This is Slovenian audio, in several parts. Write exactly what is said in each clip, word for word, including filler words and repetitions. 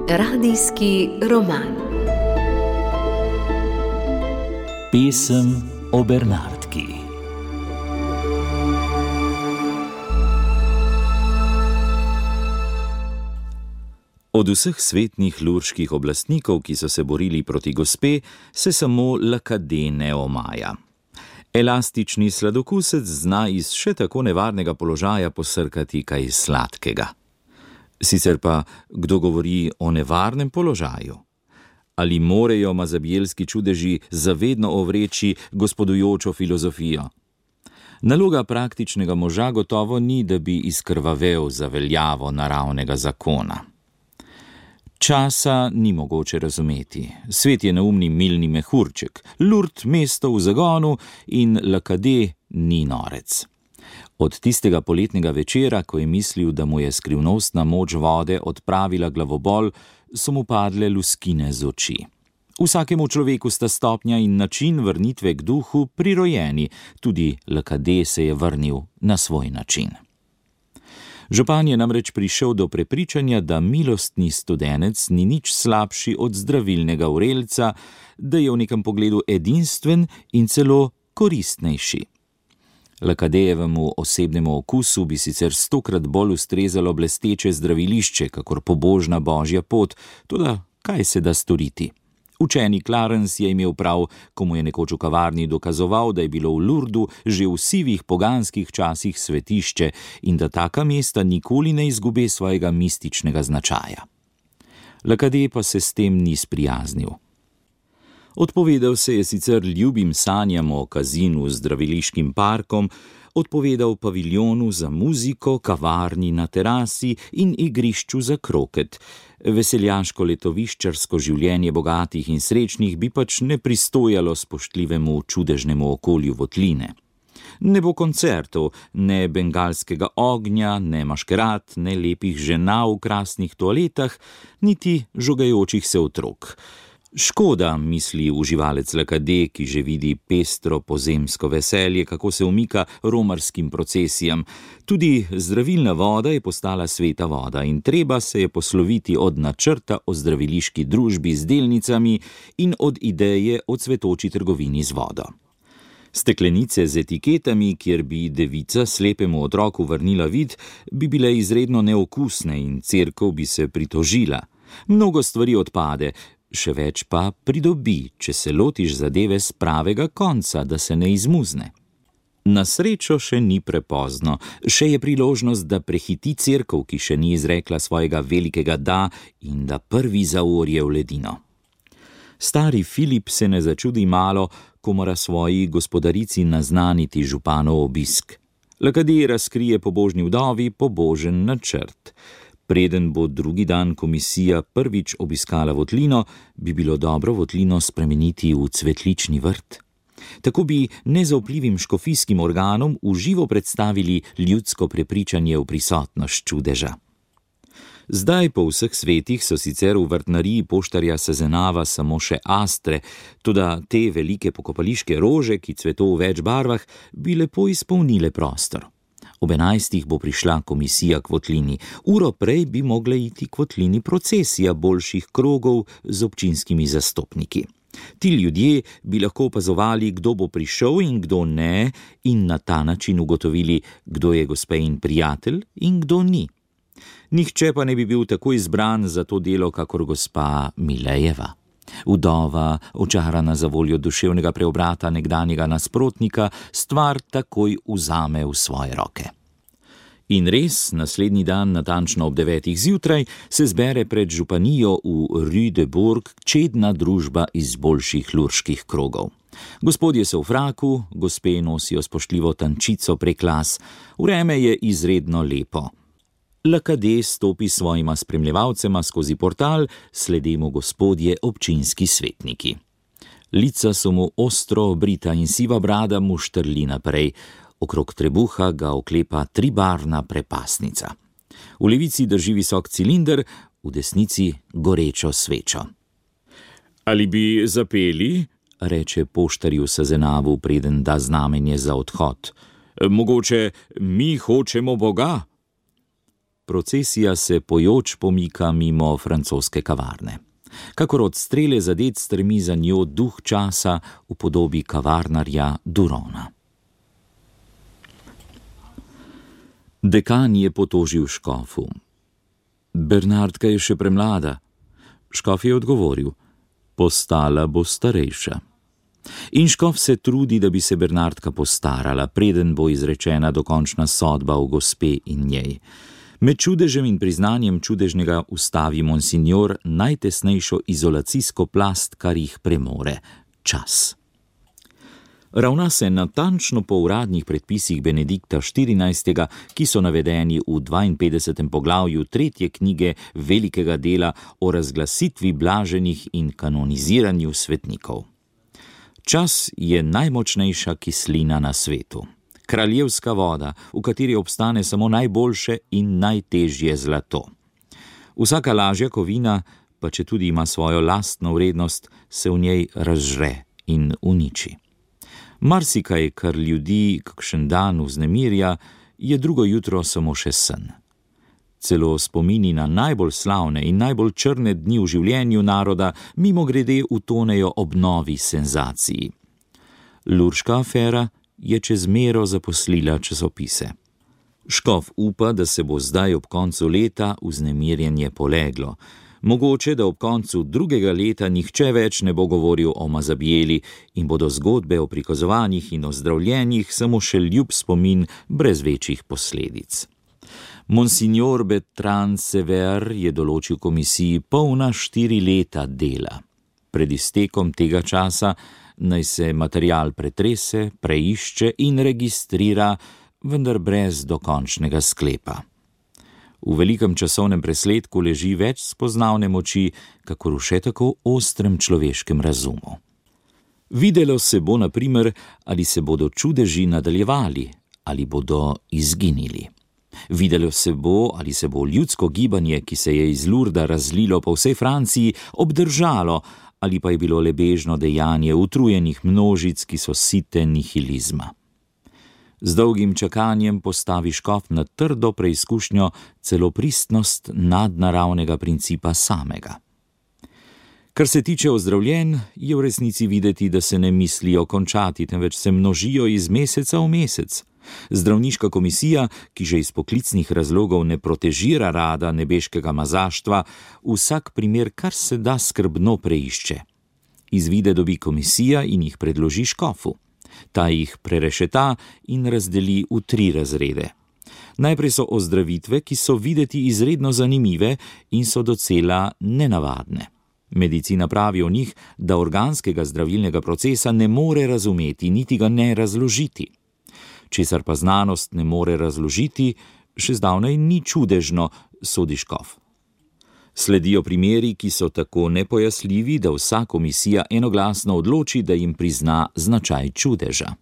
Radijski roman. Pesem o Bernardki. Od vseh svetnih lurških oblastnikov, ki so se borili proti gospe, se samo Lakade ne omaja. Elastični sladokusec zna iz še tako nevarnega položaja posrkati kaj sladkega. Sicer pa, kdo govori o nevarnem položaju? Ali morejo mazabjelski čudeži zavedno ovreči gospodujočo filozofijo? Naloga praktičnega moža gotovo ni, da bi izkrvavel za veljavo naravnega zakona. Časa ni mogoče razumeti. Svet je neumni milni mehurček, Lurd mesto v zagonu in Lakade ni norec. Od tistega poletnega večera, ko je mislil, da mu je skrivnostna moč vode odpravila glavobol, so mu padle luskine z oči. Vsakemu človeku sta stopnja in način vrnitve k duhu prirojeni, tudi Lakade se je vrnil na svoj način. Župan je namreč prišel do prepričanja, da milostni studenec ni nič slabši od zdravilnega vrelca, da je v nekem pogledu edinstven in celo koristnejši. Lakadejevemu osebnemu okusu bi sicer stokrat bolj ustrezalo blesteče zdravilišče, kakor pobožna božja pot, toda kaj se da storiti? Učeni Clarence je imel prav, ko mu je nekoč v kavarni dokazoval, da je bilo v Lurdu že v sivih poganskih časih svetišče in da taka mesta nikoli ne izgube svojega mističnega značaja. Lakade pa se s tem ni sprijaznil. Odpovedal se je sicer ljubim sanjam o kazinu z zdraviliškim parkom, odpovedal paviljonu za muziko, kavarni na terasi in igrišču za kroket. Veseljaško letoviščarsko življenje bogatih in srečnih bi pač ne pristojalo spoštljivemu čudežnemu okolju Votline. Ne bo koncertov, ne bengalskega ognja, ne maškerad, ne lepih žena v krasnih toaletah, niti žogajočih se otrok. Škoda, misli uživalec Lakade, ki že vidi pestro pozemsko veselje, kako se umika romarskim procesijam. Tudi zdravilna voda je postala sveta voda in treba se je posloviti od načrta o zdraviliški družbi z delnicami in od ideje o cvetoči trgovini z vodo. Steklenice z etiketami, kjer bi devica slepemu otroku vrnila vid, bi bile izredno neokusne in cerkev bi se pritožila. Mnogo stvari odpade, še več pa pridobi, če se lotiš zadeve z pravega konca, da se ne izmuzne. Na srečo še ni prepozno, še je priložnost, da prehiti cerkev, ki še ni izrekla svojega velikega da in da prvi zaorje v ledino. Stari Filip se ne začudi malo, ko mora svoji gospodarici naznaniti županov obisk. Lakade razkrije pobožni vdovi pobožen načrt. Preden bo drugi dan komisija prvič obiskala Votlino, bi bilo dobro Votlino spremeniti v cvetlični vrt. Tako bi nezaupljivim škofijskim organom v živo predstavili ljudsko prepričanje v prisotnost čudeža. Zdaj po vseh svetih so sicer v vrtnariji poštarja Sezenava samo še astre, toda te velike pokopališke rože, ki cveto v več barvah, bi lepo izpolnile prostor. Ob enajstih bo prišla komisija k Votlini. Uro prej bi mogla iti k Votlini procesija boljših krogov z občinskimi zastopniki. Ti ljudje bi lahko opazovali, kdo bo prišel in kdo ne, in na ta način ugotovili, kdo je gospejin prijatelj in kdo ni. Nihče pa ne bi bil tako izbran za to delo, kakor gospa Milejeva. Vdova, očarana za voljo duševnega preobrata nekdanjega nasprotnika, stvar takoj vzame v svoje roke. In res, naslednji dan, natančno ob devetih zjutraj, se zbere pred županijo v Rue de Bourg čedna družba iz boljših lurških krogov. Gospodje so v fraku, gospe nosijo spoštljivo tančico prek las, vreme je izredno lepo. Lakade stopi s svojima spremljevalcema skozi portal, sledemo gospodje občinski svetniki. Lica so mu ostro obrita in siva brada mu štrli naprej, okrog trebuha ga oklepa tribarvna prepasnica. V levici drži visok cilinder, v desnici gorečo svečo. Ali bi zapeli? Reče poštarju Sezenavu, preden da znamenje za odhod. Mogoče mi hočemo Boga? Procesija se pojoč pomika mimo francoske kavarne. Kakor od strele zadet stremi za njo duh časa v podobi kavarnarja Durona. Dekan je potožil škofu. Bernardka je še premlada. Škof je odgovoril, postala bo starejša. In škof se trudi, da bi se Bernardka postarala, preden bo izrečena dokončna sodba o gospe in njej. Med čudežem in priznanjem čudežnega ustavi monsignor najtesnejšo izolacijsko plast, kar jih premore, čas. Ravna se natančno po uradnih predpisih Benedikta štirinajstega, ki so navedeni v dvainpetdesetem poglavju tretje knjige velikega dela o razglasitvi blaženih in kanoniziranju svetnikov. Čas je najmočnejša kislina na svetu. Kraljevska voda, v kateri obstane samo najboljše in najtežje zlato. Vsaka lažja kovina, pa če tudi ima svojo lastno vrednost, se v njej razžre in uniči. Marsikaj, kar ljudi kakšen dan vznemirja, je drugo jutro samo še sen. Celo spomini na najbolj slavne in najbolj črne dni v življenju naroda mimogrede utonejo ob novi senzaciji. Lurška afera je čez mero zaposlila časopise. Škof upa, da se bo zdaj ob koncu leta vznemirjenje poleglo. Mogoče, da ob koncu drugega leta nihče več ne bo govoril o Mazabijeli in bodo zgodbe o prikazovanjih in ozdravljenjih samo še ljub spomin brez večjih posledic. Monsignor Bertrand Sever je določil komisiji polna štiri leta dela. Pred iztekom tega časa naj se material pretrese, preišče in registrira, vendar brez dokončnega sklepa. V velikem časovnem presledku leži več spoznavne moči, kakor v še tako ostrem človeškem razumu. Videlo se bo, na primer, ali se bodo čudeži nadaljevali, ali bodo izginili. Videlo se bo, ali se bo ljudsko gibanje, ki se je iz Lurda razlilo po vsej Franciji, obdržalo, ali pa je bilo le bežno dejanje utrujenih množic, ki so site nihilizma. Z dolgim čakanjem postavi škof na trdo preizkušnjo celo pristnost nadnaravnega principa samega. Kar se tiče ozdravljenj, je v resnici videti, da se ne mislijo končati, temveč se množijo iz meseca v mesec. Zdravniška komisija, ki že iz poklicnih razlogov ne protežira rada nebeškega mazaštva, vsak primer kar se da skrbno preišče. Izvide dobi komisija in jih predloži škofu. Ta jih prerešeta in razdeli v tri razrede. Najprej so ozdravitve, ki so videti izredno zanimive in so docela nenavadne. Medicina pravi o njih, da organskega zdravilnega procesa ne more razumeti, niti ga ne razložiti. Česar pa znanost ne more razložiti, še zdavnaj ni čudežno, sodi škof. Sledijo primeri, ki so tako nepojastljivi, da vsa komisija enoglasno odloči, da jim prizna značaj čudeža.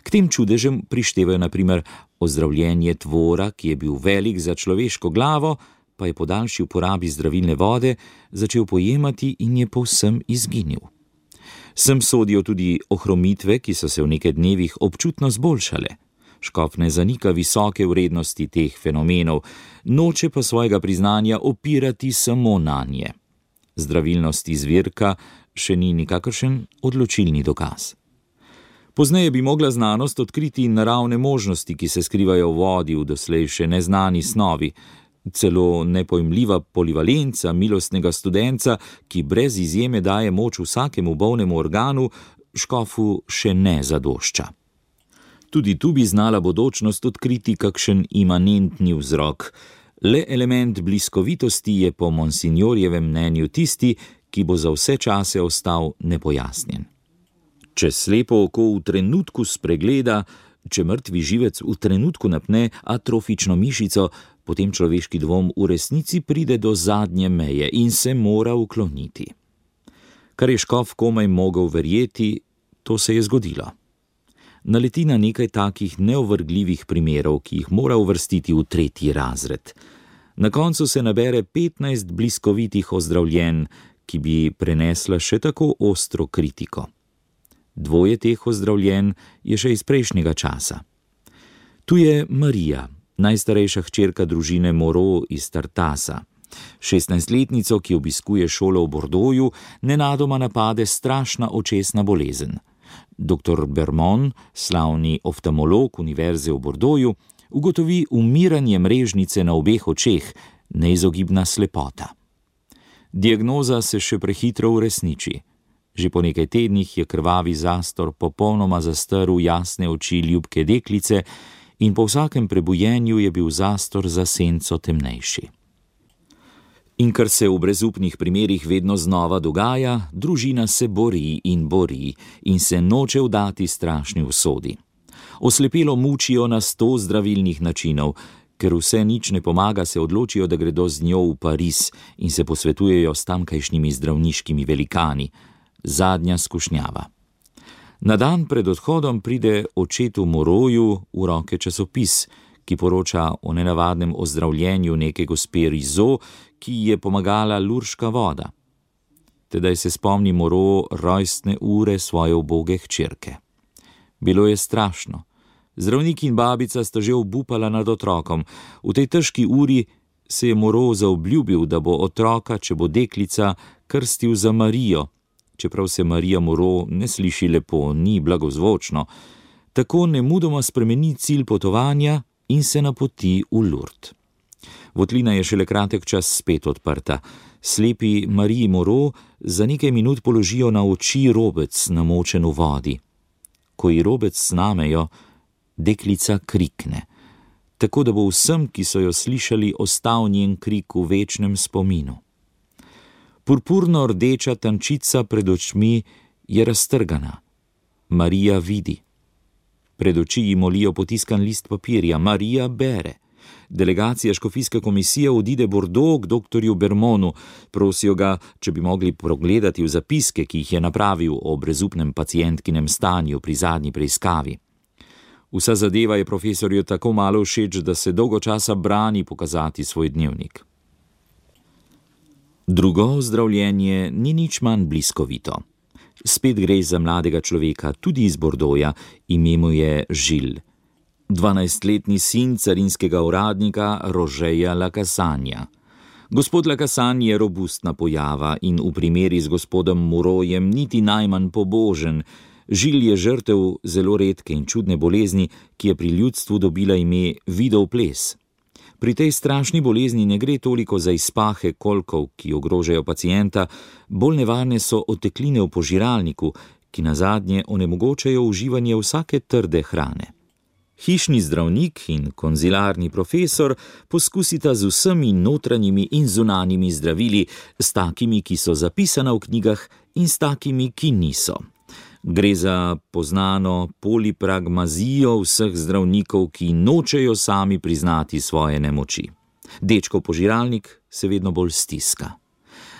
K tem čudežem prištevajo na primer ozdravljenje tvora, ki je bil velik za človeško glavo, pa je po daljši uporabi zdravilne vode začel pojemati in je povsem izginil. Sem sodijo tudi ohromitve, ki so se v nekaj dnevih občutno zboljšale. Škof ne zanika visoke vrednosti teh fenomenov, noče pa svojega priznanja opirati samo nanje. Zdravilnost izvirka še ni nikakršen odločilni dokaz. Pozneje bi mogla znanost odkriti naravne možnosti, ki se skrivajo v vodi v doslej še neznani snovi, celo nepojmljiva polivalenca milostnega studenca, ki brez izjeme daje moč vsakemu bolnemu organu, škofu še ne zadošča. Tudi tu bi znala bodočnost odkriti kakšen imanentni vzrok. Le element bliskovitosti je po monsignorjevem mnenju tisti, ki bo za vse čase ostal nepojasnjen. Če slepo oko v trenutku spregleda, če mrtvi živec v trenutku napne atrofično mišico, potem človeški dvom v resnici pride do zadnje meje in se mora ukloniti. Kar je škof komaj mogel verjeti, to se je zgodilo. Naleti na nekaj takih neovrgljivih primerov, ki jih mora uvrstiti v tretji razred. Na koncu se nabere petnajst bliskovitih ozdravljenj, ki bi prenesla še tako ostro kritiko. Dvoje teh ozdravljenj je še iz prejšnjega časa. Tu je Marija, najstarejša hčerka družine Moreau iz Tartasa. šestnajstletnico, ki obiskuje šolo v Bordeauxu, nenadoma napade strašna očesna bolezen. Doktor Bermond, slavni oftalmolog univerze v Bordeauxu, ugotovi umiranje mrežnice na obeh očeh, neizogibna slepota. Diagnoza se še prehitro uresniči. Že po nekaj tednih je krvavi zastor popolnoma zastrl jasne oči ljubke deklice in po vsakem prebujenju je bil zastor za senco temnejši. In ker se v brezupnih primerih vedno znova dogaja, družina se bori in bori in se noče vdati strašni usodi. Oslepelo mučijo na sto zdravilnih načinov, ker vse nič ne pomaga, se odločijo, da gredo z njo v Pariz in se posvetujejo s tamkajšnjimi zdravniškimi velikani. Zadnja skušnjava. Na dan pred odhodom pride očetu Moreauju v roke časopis, ki poroča o nenavadnem ozdravljenju neke gospe Rizot, ki je pomagala lurška voda. Tedaj se spomni Moreau rojstne ure svoje uboge hčerke. Bilo je strašno. Zdravnik in babica sta že obupala nad otrokom. V tej težki uri se je Moreau zaobljubil, da bo otroka, če bo deklica, krstil za Marijo, čeprav se Marija Moreau ne sliši lepo, ni blagozvočno. Tako nemudoma spremeni cilj potovanja in se napoti v Lourdes. Votlina je šele kratek čas spet odprta. Slepi Mariji Moreau za nekaj minut položijo na oči robec, namočen v vodi. Ko ji robec snamejo, deklica krikne, tako da bo vsem, ki so jo slišali, ostal njen krik v večnem spominu. Purpurno-rdeča tančica pred očmi je raztrgana. Marija vidi. Pred oči ji molijo potiskan list papirja. Marija bere. Delegacija škofijske komisije odide Bordeaux k doktorju Bermondu. Prosijo ga, če bi mogli progledati v zapiske, ki jih je napravil o brezupnem pacientkinem stanju pri zadnji preiskavi. Vsa zadeva je profesorju tako malo všeč, da se dolgo časa brani pokazati svoj dnevnik. Drugo ozdravljenje ni nič manj bliskovito. Spet gre za mladega človeka, tudi iz Bordeauxa, ime mu je Žil. dvanajstletni sin carinskega uradnika Rožeja Lakassanja. Gospod Lakasan je robustna pojava in v primeri z gospodom Moreaujem niti najmanj pobožen. Žil je žrtev zelo redke in čudne bolezni, ki je pri ljudstvu dobila ime vidov ples. Pri tej strašni bolezni ne gre toliko za izpahe kolkov, ki ogrožajo pacienta, bolj nevarne so otekline v požiralniku, ki nazadnje onemogočajo uživanje vsake trde hrane. Hišni zdravnik in konzilarni profesor poskusita z vsemi notranjimi in zunanjimi zdravili, s takimi, ki so zapisana v knjigah, in s takimi, ki niso. Gre za poznano polipragmazijo vseh zdravnikov, ki nočejo sami priznati svoje nemoči. Dečkov požiralnik se vedno bolj stiska.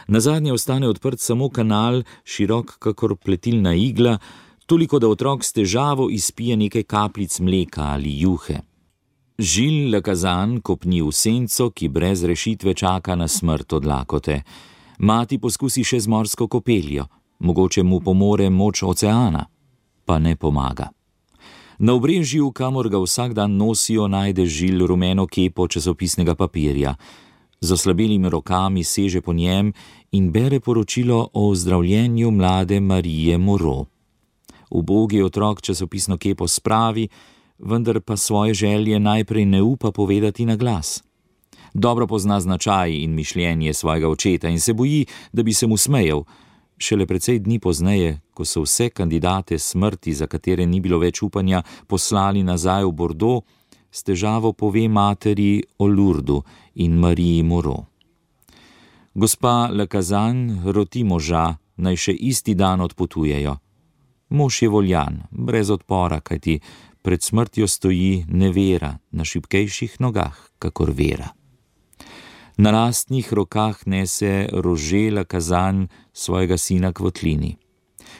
Nazadnje ostane odprt samo kanal, širok kakor pletilna igla, toliko da otrok s težavo izpije nekaj kapljic mleka ali juhe. Žil Lakasan kopni v senco, ki brez rešitve čaka na smrt od lakote. Mati poskusi še z morsko kopeljo. Mogoče mu pomore moč oceana, pa ne pomaga. Na obrežju, kamor ga vsak dan nosijo, najde Žil rumeno kepo časopisnega papirja. Z oslabelimi rokami seže po njem in bere poročilo o ozdravljenju mlade Marije Moreau. Ubogi otrok časopisno kepo spravi, vendar pa svoje želje najprej ne upa povedati na glas. Dobro pozna značaj in mišljenje svojega očeta in se boji, da bi se mu smejal. Šele precej dni pozneje, ko so vse kandidate smrti, za katere ni bilo več upanja, poslali nazaj v Bordeaux, s težavo pove materi o Lourdu in Mariji Moreau. Gospa Lakasan roti moža, naj še isti dan odpotujejo. Mož je voljan, brez odpora, kajti pred smrtjo stoji nevera na šibkejših nogah, kakor vera. Na lastnih rokah nese Rože Lakasan svojega sina k votlini.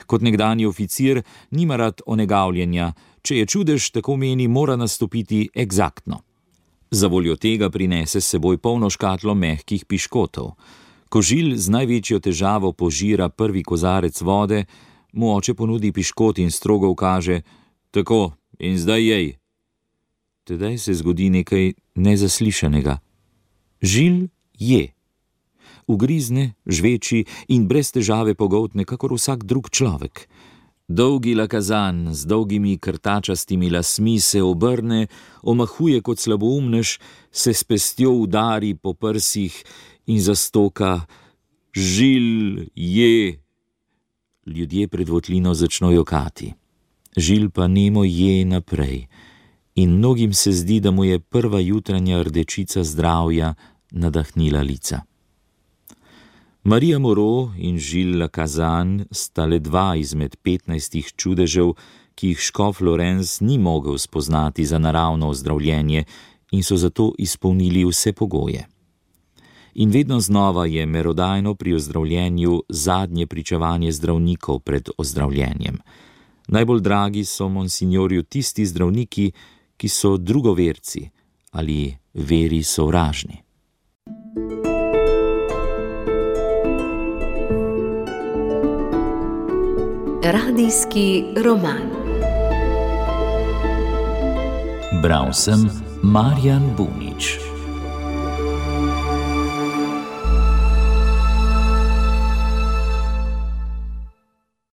Kot nekdanji oficir nima rad onegavljenja, če je čudež, tako meni, mora nastopiti eksaktno. Za voljo tega prinese s seboj polno škatlo mehkih piškotov. Ko Žil z največjo težavo požira prvi kozarec vode, mu oče ponudi piškot in strogo ukaže: tako, in zdaj jej. tedaj se zgodi nekaj nezaslišanega. Žil je. Ugrizne, žveči in brez težave pogoltne, kakor vsak drug človek. Dolgi lakazan z dolgimi krtačastimi lasmi se obrne, omahuje kot slaboumnež, se s pestjo udari po prsih in zastoka: Žil je. Ljudje pred votlino začno jokati. Žil pa nemo je naprej in mnogim se zdi, da mu je prva jutranja rdečica zdravja nadahnila lica. Marija Moreau in Žil Lakazan sta le dva izmed petnajstih čudežev, ki jih škof Lorenz ni mogel spoznati za naravno ozdravljenje in so zato izpolnili vse pogoje. In vedno znova je merodajno pri ozdravljenju zadnje pričevanje zdravnikov pred ozdravljenjem. Najbolj dragi so monsignorju tisti zdravniki, ki so drugoverci ali veri sovražni. Radijski roman. Bral sem Marjan Bunič.